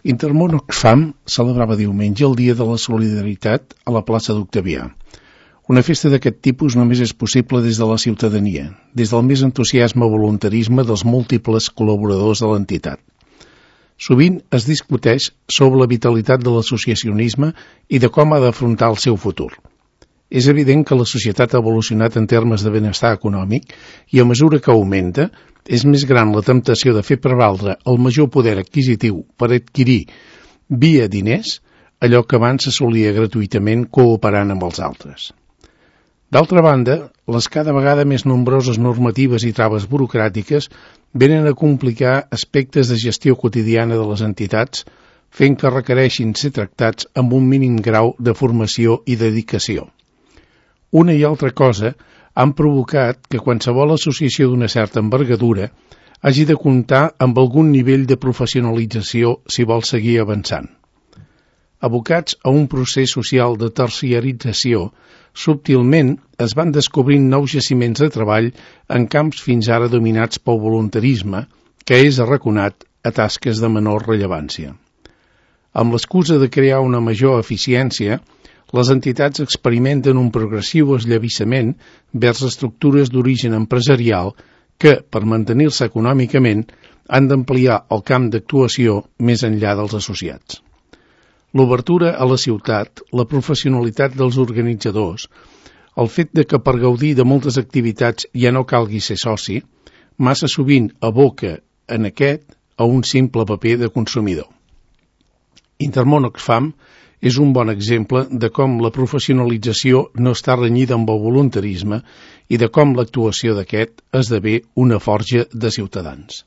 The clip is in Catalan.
Intermón Oxfam celebrava diumenge el Dia de la Solidaritat a la plaça d'Octavià. Una festa d'aquest tipus només és possible des de la ciutadania, des del més entusiasme voluntarisme dels múltiples col·laboradors de l'entitat. Sovint es discuteix sobre la vitalitat de l'associacionisme i de com ha d'afrontar el seu futur. És evident que la societat ha evolucionat en termes de benestar econòmic i a mesura que augmenta, és més gran la temptació de fer prevaldre el major poder adquisitiu per adquirir, via diners, allò que abans s'assolia gratuïtament cooperant amb els altres. D'altra banda, les cada vegada més nombroses normatives i traves burocràtiques venen a complicar aspectes de gestió quotidiana de les entitats, fent que requereixin ser tractats amb un mínim grau de formació i dedicació. Una i altra cosa han provocat que qualsevol associació d'una certa envergadura hagi de comptar amb algun nivell de professionalització si vol seguir avançant. Abocats a un procés social de terciarització, subtilment es van descobrint nous jaciments de treball en camps fins ara dominats pel voluntarisme, que és arraconat a tasques de menor rellevància. Amb l'excusa de crear una major eficiència, les entitats experimenten un progressiu esllavissament vers estructures d'origen empresarial que, per mantenir-se econòmicament, han d'ampliar el camp d'actuació més enllà dels associats. L'obertura a la ciutat, la professionalitat dels organitzadors, el fet de que per gaudir de moltes activitats ja no calgui ser soci, massa sovint aboca en aquest a un simple paper de consumidor. Intermón Oxfam és un bon exemple de com la professionalització no està renyida amb el voluntarisme i de com l'actuació d'aquest esdevé una forja de ciutadans.